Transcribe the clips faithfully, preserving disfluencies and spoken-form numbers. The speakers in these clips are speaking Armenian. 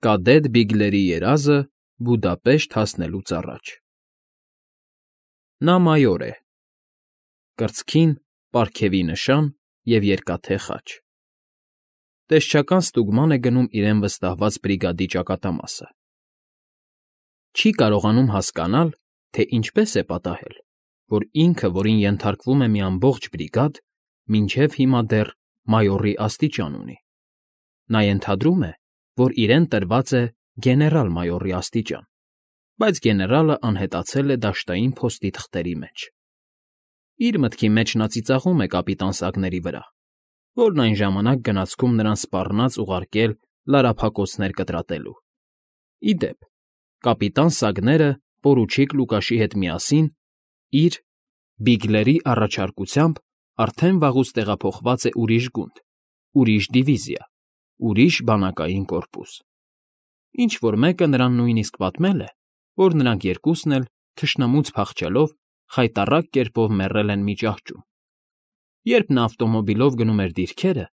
Կադետ Բիգլերի երազը Բուդապեշտ հասնելուց առաջ Նա մայոր է, կրծքին պարգևի նշան և երկաթե խաչ, տեսչական ստուգման է գնում իրեն վստահված բրիգադի ճակատամասը, չի կարողանում հասկանալ, թե ինչպես է պատահել, որ ինքը, որին ենթարկվում է մի ամբողջ բրիգադ, մինչև հիմա դեռ մայորի աստիճան ունի, նա ենթադրում է, որ իրեն տրված է գեներալ֊մայորի աստիճան, բայց գեներալը անհետացել է դաշտային փոստի թղթերի մեջ. իր մտքի մեջ նա ծիծաղում է կապիտան Սագների վրա, որն այն ժամանակ գնացքում նրան սպառնաց ուղարկել լարափակոցներ կտրատելու. ի դեպ, կապիտան Սագները պորուչիկ Լուկաշի հետ միասին իր՝ Բիգլերի առաջարկությամբ արդեն վաղուց տեղափոխված է ուրիշ գունդ, ուրիշ դիվիզիա, ուրիշ բանակային կորպուս. ինչ֊որ մեկը նրան նույնիսկ պատմել է, որ նրանք երկուսն էլ, թշնամուց փախչելով, խայտառակ կերպով մեռել են մի ճահճում. երբ նա ավտոմոբիլով գնում էր դիրքերը,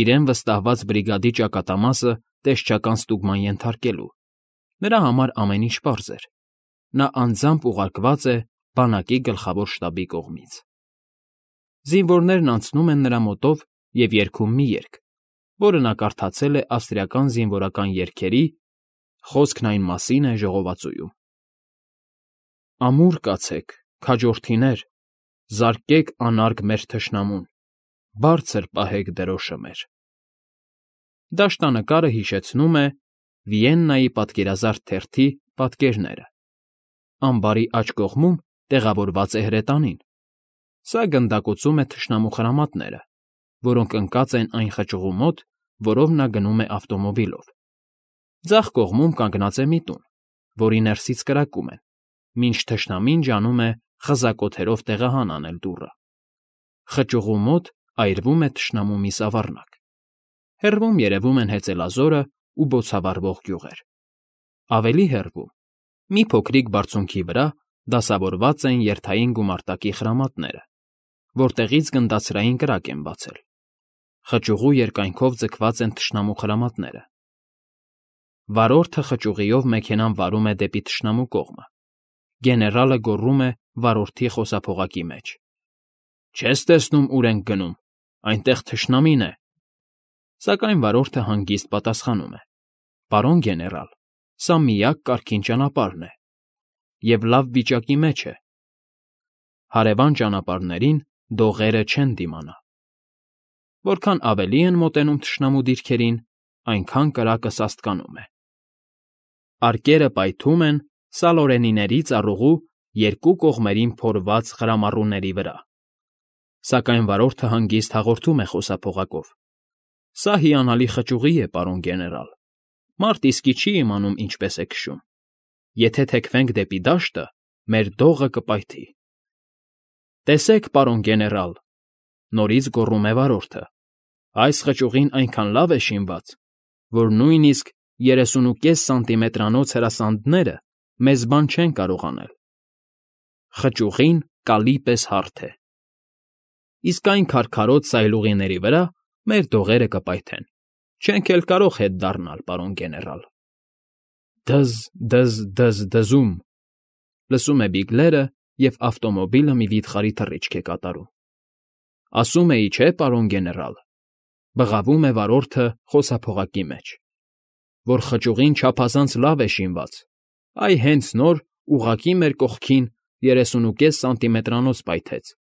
իրեն վստահված բրիգադի ճակատամասը տեսչական ստուգման ենթարկելու, նրա համար ամեն ինչ պարզ էր. նա անձամբ ուղարկված է բանակի գլխավոր շտաբի կողմից։ Զինվորներն անցնում են նրա մոտով և երգում մի երգ, որը նա կարդացել է ավստրիական զինվորական երգերի, խոսքն այն մասին է ժողովածուում. Ամուր կացեք, քաջորդիներ, զարկեք անարգ մեր թշնամուն, բարձր պահեք դրոշը մեր։ Դաշտանկարը հիշեցնում է Վիեննայի պատկերազարդ թերթի պատկերները։ Ամբարի աջ կողմում տեղավորված է հրետանին, սա գնդակոծում է թշնամու խրամատները, որոնք ընկած են այն խճուղու մոտ, որով նա գնում է ավտոմոբիլով։ Ձախ կողմում կանգնած է մի տուն, որի ներսից կրակում են, մինչ թշնամին ջանում է խզակոթերով տեղահան անել դուռը։ Խճուղու մոտ այրվում է թշնամու մի սավառնակ։ Հեռվում երևում են հեծելազորն ու բոցավառվող գյուղեր։ Ավելի հեռվում, մի փոքրիկ բարձունքի վրա դասավորված են երթային գումարտակի խրամատները, որտեղից գնդացրային կրակ են բացել։ Խճուղու երկայնքով ձգված են թշնամու խրամատները։ Վարորդը խճուղիով մեքենան վարում է դեպի թշնամու կողմը։ Գեներալը գոռում է վարորդի խոսափողակի մեջ. Չես տեսնում ուր ենք գնում, այնտեղ թշնամին է։ Սակայն վարորդը հանգիստ պատասխանում է. Պարոն գեներալ, սա միակ կարգին ճանապարհն է, և լավ վիճակի մեջ է։ Հարևան ճանապարհներին դողերը չեն դիմանա։ Որքան ավելի են մոտենում թշնամու դիրքերին, այնքան կրակը սաստկանում է։ Արկերը պայթում են սալորենիների ծառուղու երկու կողմերին փորված խրամառուների վրա։ Սակայն վարորդը հանգիստ հաղորդում է խոսափողակով. Սա հիանալի խճուղի է, պարոն գեներալ, մարդ իսկի չի իմանում ինչպես է քշում։ Եթե թեքվենք դեպի դաշտը, մեր դողը կպայթի։ Տեսեք, պարոն գեներալ, նորից գոռում է վարորդը, այս խճուղին այնքան լավ է շինված, որ նույնիսկ երեսունուկես սանտիմետրանոց հրասանդները մեզ բան չեն կարող անել։ Խճուղին կալի պես հարթ է։ Իսկ այն քարքարոտ սայլուղիների վրա մեր դողերը կպայթեն, չենք էլ կարող հետ դառնալ, պարոն գեներալ։ Դզ, դզ, դզ, դզում, լսում է Բիգլերը, և ավտոմոբիլը մի վիթխարի թռիչք է կատարում։ Ասում էի, չէ, պարոն գեներալ, բղավում է վարորդը խոսափողակի մեջ, որ խճուղին չափազանց լավ է շինված, այ հենց նոր ուղղակի մեր կողքին երեսունուկես սանտիմետրանոց պայթեց,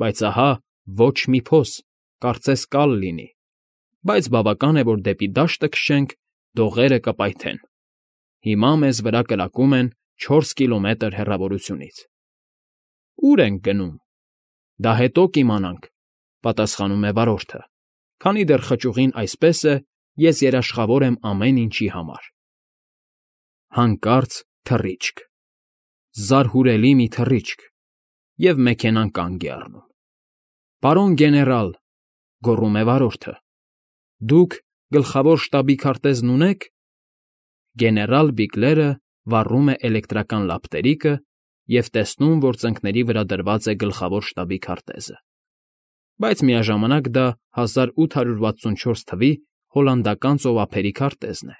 բայց ահա ոչ մի փոս, կարծես կալ լինի, բայց բավական է, որ դեպի դաշտը քշենք, դողերը կպայթեն։ Հիմա մեզ վրա կրակում են չորս կիլոմետր հեռավորությունից։ Ո՞ւր ենք գնում։ Դա հետո կիմանանք, պատասխանում է վարորդը, քանի դեռ խճուղին այսպես է, ես երաշխավոր եմ ամեն ինչի համար։ Հանկարծ թռիչք, զարհուրելի մի թռիչք, և մեքենան կանգ է առնում։ Պարոն գեներալ, գոռում է վարորդը, դուք գլխավոր շտաբի քարտեզն ունե՞ք։ Գեներալ Բիգլերը վառում է էլեկտրական լապտերիկը և տեսնում, որ ծնկների վրա դրված է գլխավոր շտաբի քարտեզը, բայց միաժամանակ դա հազար ութ հարյուր վաթսունչորս թվականի հոլանդական ծովափերի քարտեզն է,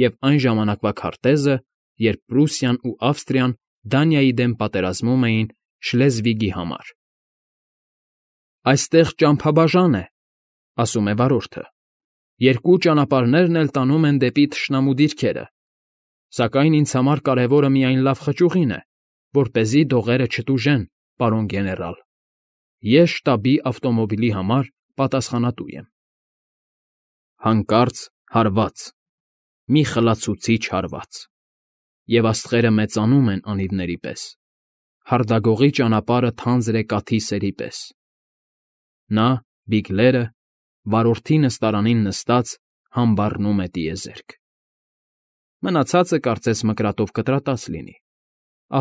և այն ժամանակվա քարտեզը, երբ Պրուսիան ու Ավստրիան Դանիայի դեմ պատերազմում էին Շլեզվիգի համար։ «Այստեղ ճամփաբաժան է,֊ ասում է վարորդը,֊ երկու ճանապարհներն էլ տանում են դեպի թշնամու դիրքերը, սակայն ինձ համար կարևորը միայն լավ խճուղին է, որպեսզի դողերը չտուժեն, պարոն գեներալ։ Ես շտաբի ավտոմոբիլի համար պատասխանատու եմ»։ Հանկարծ հարված, մի խլացուցիչ հարված, և աստղերը մեծանում են անիվների պես, հարդագողի ճանապարհը թանձր է կաթի սերի պես։ Նա, Բիգլերը, վարորդի նստարանին նստած, համբառնում է տիեզերք։ Մնացածը կարծես մկրատով կտրատած լինի,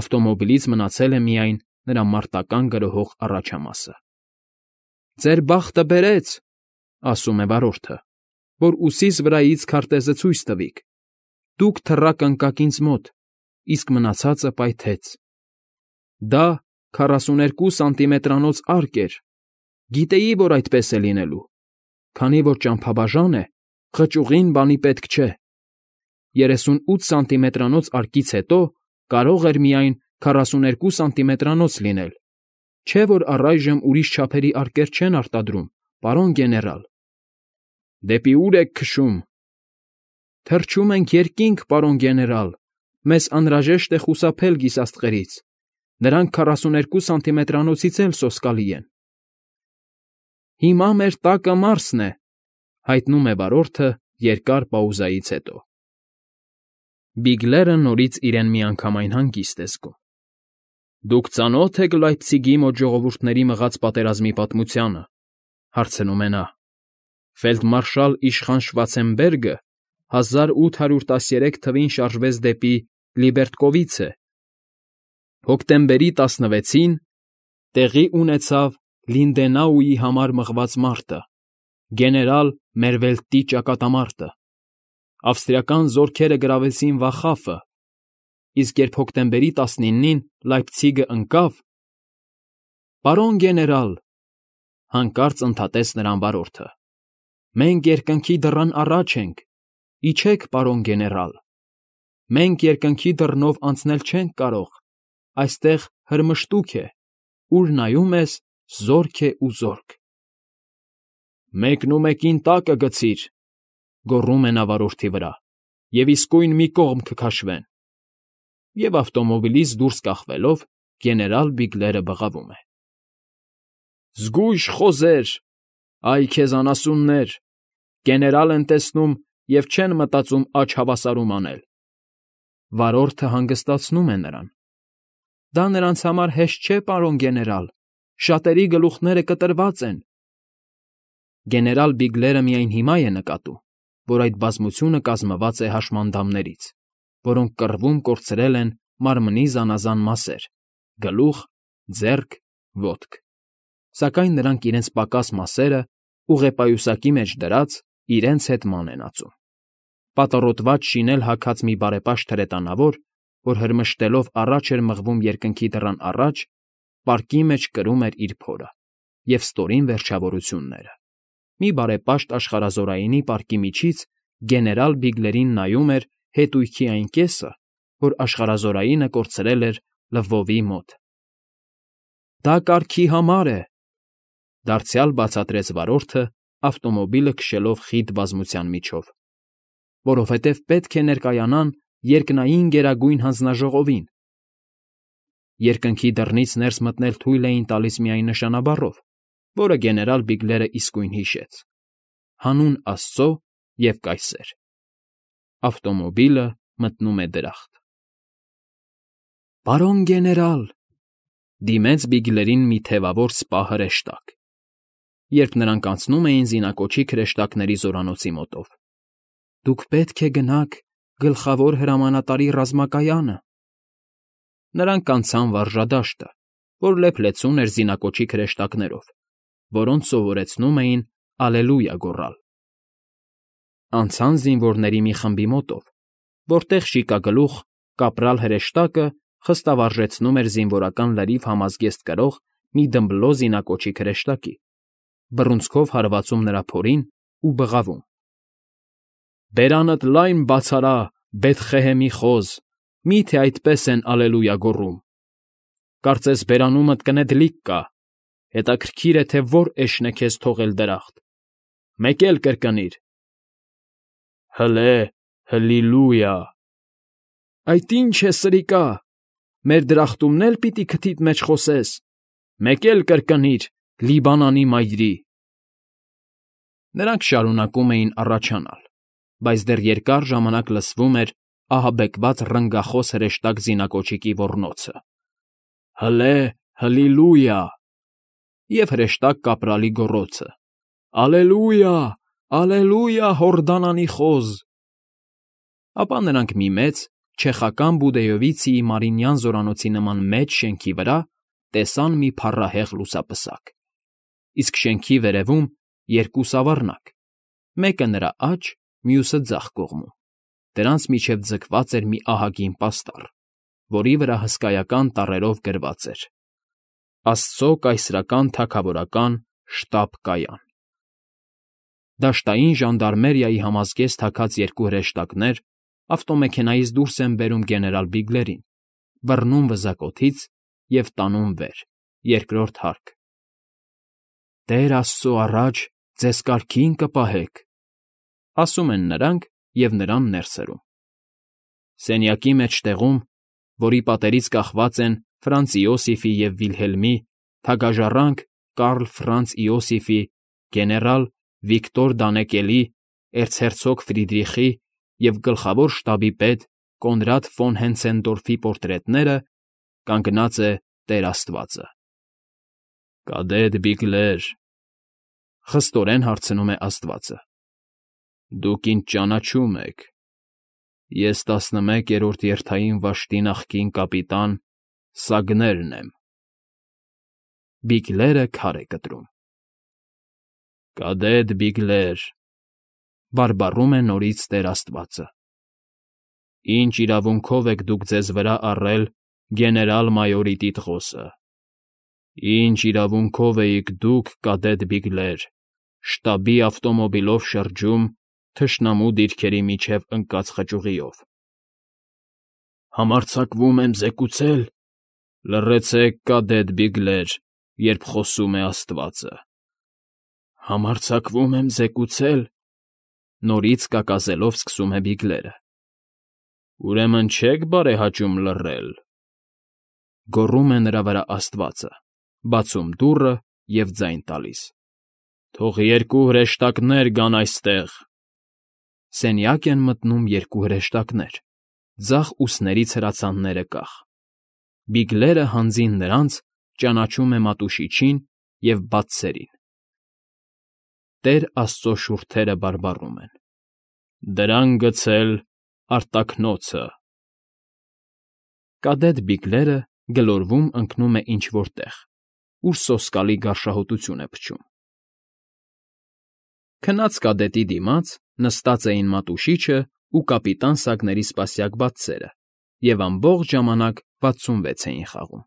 ավտոմոբիլից մնացել է միայն նրա մարտական գրոհող առաջամասը։ «Ձեր բախտը բերեց,֊ ասում է վարորդը,֊ որ ուսիս վրայից քարտեզը ցույց տվիք։ Դուք թռաք ընկաք ինձ մոտ, իսկ մնացածը պայթեց։ Դա քառասուներկու սանտիմետրանոց արկ էր, գիտեի, որ այդպես է լինելու, քանի որ ճամփաբաժան է, խճուղին բանի պետք չէ։ Երեսունութ սանտիմետրանոց արկից հետո կարող էր միայն քառասուներկու սանտիմետրանոց լինել, չէ՞ որ առայժմ ուրիշ չափերի արկեր չեն արտադրում, պարոն գեներալ։ Դեպի ո՞ւր եք քշում։ Թռչում ենք երկինք, պարոն գեներալ, մեզ անհրաժեշտ է խուսափել գիսաստղերից, նրանք քառասուներկու սանտիմետրանոցից էլ սոսկալի են։ Հիմա մեր տակը Մարսն է,֊ հայտնում է վարորդը երկար պաուզայից հետո։ Բիգլերը նորից իրեն միանգամայն հանգիստ է զգում։ «Դուք ծանո՞թ եք Լայպցիգի մոտ ժողովուրդների մղած պատերազմի պատմությանը,֊ հարցնում է նա։ Ֆելդմարշալ իշխան Շվարցենբերգը հազար ութ հարյուր տասներեք թվին շարժվեց դեպի Լիբերտկովիցե։ Հոկտեմբերի տասնվեցին տեղի ունեցավ Լինդենաուի համար մղված մարտը, գեներալ Մերվելտի ճակատամարտը։ Ավստրիական զորքերը գրավեցին Վախաֆը, իսկ երբ հոկտեմբերի տասնինին Լայպցիգը ընկավ… Պարոն գեներալ,֊ հանկարծ ընդհատեց նրան վարորդը,֊ մենք երկնքի դռան առաջ ենք, իջեք, պարոն գեներալ, մենք երկնքի դռնով անցնել չենք կարող, այստեղ հրմշտուք է, ուր նայում ես, զորք է ու զորք։ Մեկնումեկին տակը գցիր,֊ գոռում է նա վարորդի վրա,֊ և իսկույն մի կողմ կքաշվեն։ Եվ ավտոմոբիլից դուրս կախվելով գեներալ Բիգլերը բղավում է. «Զգույշ խոզեր, այ քեզ անասուններ, գեներալ են տեսնում և չեն մտածում աջ հավասարում անել»։ Վարորդը հանգստացնում է նրան. «Դա նրանց համար հեշտ չէ, պարոն գեներալ, շատերի գլուխները կտրված են»։ Գեներալ Բիգլերը միայն հիմա է նկատում, որ այդ բազմությունը կազմված է հաշմանդամներից, որոնք կռվում կորցրել են մարմնի զանազան մասեր՝ գլուխ, ձեռք, ոտք, սակայն նրանք իրենց պակաս մասերը, ուղեպայուսակի մեջ դրած, իրենց հետ ման են ածում։ Պատառոտված շինել հագած մի բարեպաշտ հրետանավոր, որ հրմշտելով առաջ էր մղվում երկնքի դռան առաջ, պարկի մեջ կրում էր իր փորը և ստորին վերջավորությունները։ Մի բարեպաշտ աշխարհազորայինի պարկի միջից գեներալ Բիգլերին նայում էր հետույքի այն կեսը, որ աշխարհազորայինը կորցրել էր Լվովի մոտ։ Դա կարգի համար է,֊ դարձյալ բացատրեց վարորդը, ավտոմոբիլը քշելով խիտ բազմության միջով, որովհետև պետք է ներկայանան երկնային Գերագույն Հանձնաժողովին։ Երկնքի դռնից ներս մտնել թույլ էին տալիս միայն նշանաբառով, որը գեներալ Բիգլերը իսկույն հիշեց. հանուն աստծո և կայսեր։ Ավտոմոբիլը մտնում է դրախտ։ Պարոն գեներալ,֊ դիմեց Բիգլերին մի թևավոր սպա հրեշտակ, երբ նրանք անցնում էին զինակոչիկ հրեշտակների զորանոցի մոտով,֊ դուք պետք է գնաք գլխավոր հրամանատարի ռազմակայանը։ Նրանք անցան վարժադաշտը, որ լեփ-լեցուն էր զինակոչիկ հրեշտակներով, որոնց սովորեցնում էին «Ալելույա» գոռալ։ Անցան զինվորների մի խմբի մոտով, որտեղ շիկագլուխ կապրալ հրեշտակը խստավարժեցնում էր զինվորական լրիվ համազգեստ կրող մի դմբլո զինակոչիկ հրեշտակի, բռունցքով հարվածում նրա փորին ու բղավում. Բերանդ լայն բացարա, Բեթխեհեմի խոզ, մի՞թե այդպես են ալելույա գոռում։ Կարծես բերանումդ կնետլիկ կա, հետաքրքիր է, թե որ էշն է քեզ թողել դրախտ, մեկ էլ կրկնիր. հլե, հլիլույա։ Այդ ի՞նչ է, սրիկա, մեր դրախտումն էլ պիտի քթիդ մեջ խոսես, մեկ էլ կրկնիր. Լիբանանի մայրի։ Նրանք շարունակում էին առաջանալ, բայց դեռ երկար ժամանակ լսվում էր ահաբեկված ռնգախոս հրեշտակ զինակոչիկի ոռնոցը. հլե, հլիլույա, և հրեշտակ կապրալի գոռոցը. ալելույա, ալելույա, Հորդանանի խոզ։ Ապա նրանք մի մեծ, չեխական Բուդեյովիցիի Մարինյան զորանոցի նման մեծ շենքի վրա տեսան մի փառահեղ լուսապսակ, իսկ շենքի վերևում երկու սավառնակ, մեկը նրա աջ, մյուսը ձախ կողմում, դրանց միջև ձգված էր մի ահագին պաստառ, որի վրա հսկայական տառերով գրված էր. Աստծո կայսրական թագավորական շտաբ֊կայան։ Դաշտային ժանդարմերիայի համազգեստ թաքած երկու հրեշտակներ ավտոմեքենայից դուրս են բերում գեներալ Բիգլերին, բռնում վզակոթից և տանում վեր, երկրորդ հարկ։ Տեր Աստծո առաջ ձեզ կարգին կպահեք, ասում են նրանք և նրան ներս հրում։ Սենյակի մեջտեղում, որի պատերից կախված են Ֆրանց Իոսիֆի և Վիլհելմի, թագաժառանգ Կարլ Ֆրանց Իոսիֆի, գեներալ Վիկտոր Դանեկելի, էրցհերցոգ Ֆրիդրիխի և գլխավոր շտաբի պետ Կոնրադ ֆոն Հենցենդորֆի պորտրետները, կանգնած է Տեր Աստվածը։ Կադեդ Բիգլեր, խստորեն հարցնում է աստվածը, դուք ինձ ճանաչում եք, ես տասնմեկերորդ երթային վաշտի նախկին կապիտան Սագներն եմ։ Բիգլերը քար է կտրում։ Կադեդ Բիգլեր, բարբառում է նորից Տեր Աստվածը, ինչ իրավունքով եք դուք ձեզ վրա առել գեներալ֊մայորի տիտղոսը, ինչ իրավունքով էիք դուք, Կադեդ Բիգլեր, շտաբի ավտոմոբիլով շրջում թշնամու դիրքերի միջև ընկած խճուղիով։ Համարձակվում եմ զեկուցել, լռեցեք, Կադեդ Բիգլեր, երբ խոսում է աստվածը։ Համարձակվում եմ զեկուցել, նորից կակազելով սկսում է Բիգլերը։ Ուրեմն չեք բարեհաճում լռել։ Գոռում է նրա վրա աստվածը, բացում դուռը և ձայն տալիս. Թող երկու հրեշտակներ գան այստեղ։ Սենյակ են մտնում երկու հրեշտակներ, ձախ ուսներից հրացանները կախ։ Բիգլերը հանձին նրանց ճանաչում է մատուշիչին և բացսերին։ Տեր Աստծո շուրթերը բարբառում են. Դրան գցել արտաքնոցը։ Կադեդ Բիգլերը գլորվում ընկնում է ինչ֊որ տեղ, ուր սոսկալի գարշահոտություն է փչում։ Քնած կադետի դիմաց նստած էին մատուշիչը ու կապիտան Սագների սպասյակ բացսերը և ամբողջ ժամանակ վաթսունվեց էին խաղում։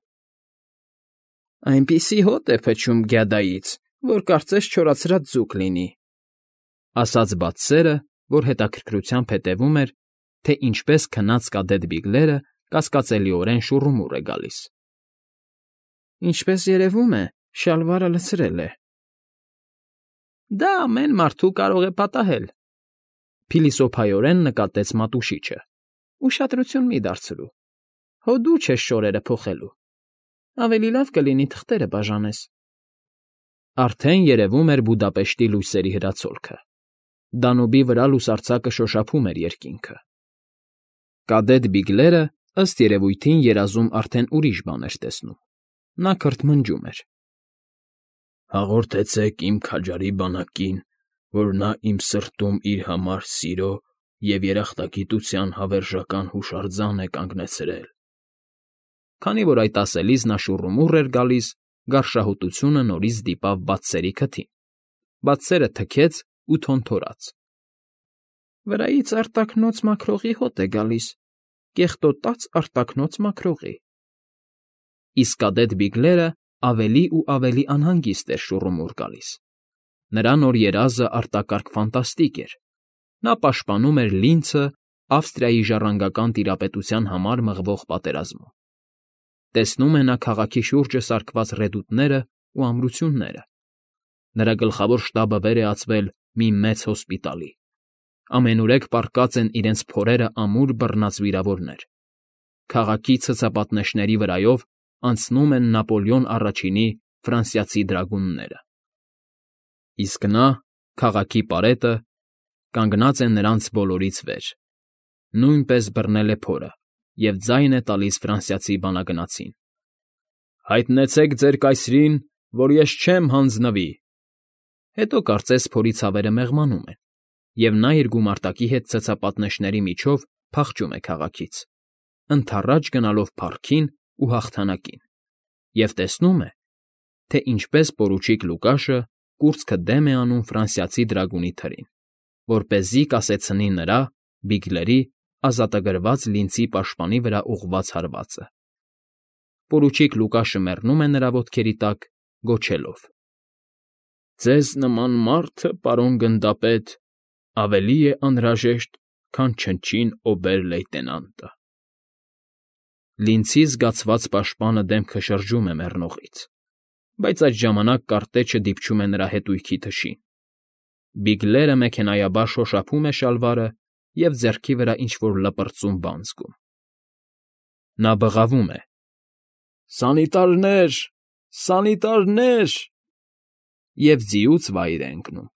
Այնպիսի հոտ է փչում գյադայից, որ կարծես չորացած ձուկ լինի, ասաց բացսերը, որ հետաքրքրությամբ հետևում էր, թե ինչպես քնած կադեդ Բիգլերը կասկածելիորեն շուռումուռ է գալիս։ Ինչպես երևում է, շալվարը լցրել է։ Դա ամեն մարդու կարող է պատահել, փիլիսոփայորեն նկատեց մատուշիչը։ Ուշադրություն մի դարձրու, հո դու չես շորերը փոխելու, ավելի լավ կլինի թղթերը բաժանես։ Արդեն երևում էր Բուդապեշտի լույսերի հրացոլքը։ Դանուբի վրա լուսարձակը շոշափում էր երկինքը։ Կադեդ Բիգլերը, ըստ երևույթին, երազում արդեն ուրիշ բան էր տեսնում։ Նա քրթմնջում էր. Հաղորդեցեք իմ քաջարի բանակին, որ նա իմ սրտում իր համար սիրո և երախտագիտության հավերժական հուշարձան է կանգնեցրել։ Քանի որ այդ ասելիս նա շուռումուռ էր գալիս, գարշահոտությունը նորից դիպավ բացսերի քթին։ Բացսերը թքեց ու թոնթորաց։ Վրայից արտաքնոց մաքրողի հոտ է գալիս, կեղտոտած արտաքնոց մաքրողի։ Իսկ կադեդ Բիգլերը ավելի ու ավելի անհանգիստ էր շուռումուռ գալիս։ Նրա նոր երազը արտակարգ ֆանտաստիկ էր, Նա պաշտպանում էր Լինցը Ավստրիայի ժառանգական տիրապետության համար մղվող պատերազմում։ Տեսնում է նա քաղաքի շուրջը սարքված ռեդուտներն ու ամրությունները։ Նրա գլխավոր շտաբը վեր է ածվել մի մեծ հոսպիտալի։ Ամենուրեք պառկած են իրենց փորերը ամուր բռնած վիրավորներ։ Քաղաքի ցցապատնեշների վրայով անցնում են Նապոլեոն Առաջինի ֆրանսիացի դրագունները։ Իսկ նա, քաղաքի պարետը, կանգնած է նրանց բոլորից վեր, նույնպես բռնել է փորը և ձայն է տալիս ֆրանսիացի բանագնացին. «Հայտնեցեք ձեր կայսրին, որ ես չեմ հանձնվի»։ Հետո կարծես փորի ցավերը մեղմանում են, և նա իր գումարտակի հետ ցցապատնեշների միջով փախչում է քաղաքից, ընդառաջ գնալով փառքին ու հաղթանակին, և տեսնում է, թե ինչպես պորուչիկ Լուկաշը կուրծքը դեմ է անում ֆրանսիացի դրագունի թրին, որպեսզի կասեցնի նրա՝ Բիգլերի, ազատագրված Լինցի պաշտպանի վրա ուղղված հարվածը։ Պորուչիկ Լուկաշը մեռնում է նրա ոտքերի տակ, գոչելով. «Ձեզ նման մարդը, պարոն գնդապետ, ավելի է անհրաժեշտ, քան չնչին օբեր֊լեյտենանտը»։ Լինցի զգացված պաշտպանը դեմքը շրջում է մեռնողից, բայց այդ ժամանակ կարտեչը դիպչում է նրա հետույքի թշին։ Բիգլերը մեքենայաբար շոշափում է շալվարը և ձեռքի վրա ինչ֊որ լպրծուն բան զգում։ Նա բղավում է. «Սանիտարնե՜ր, սանիտարնե՜ր» և ձիուց վայր է ընկնում։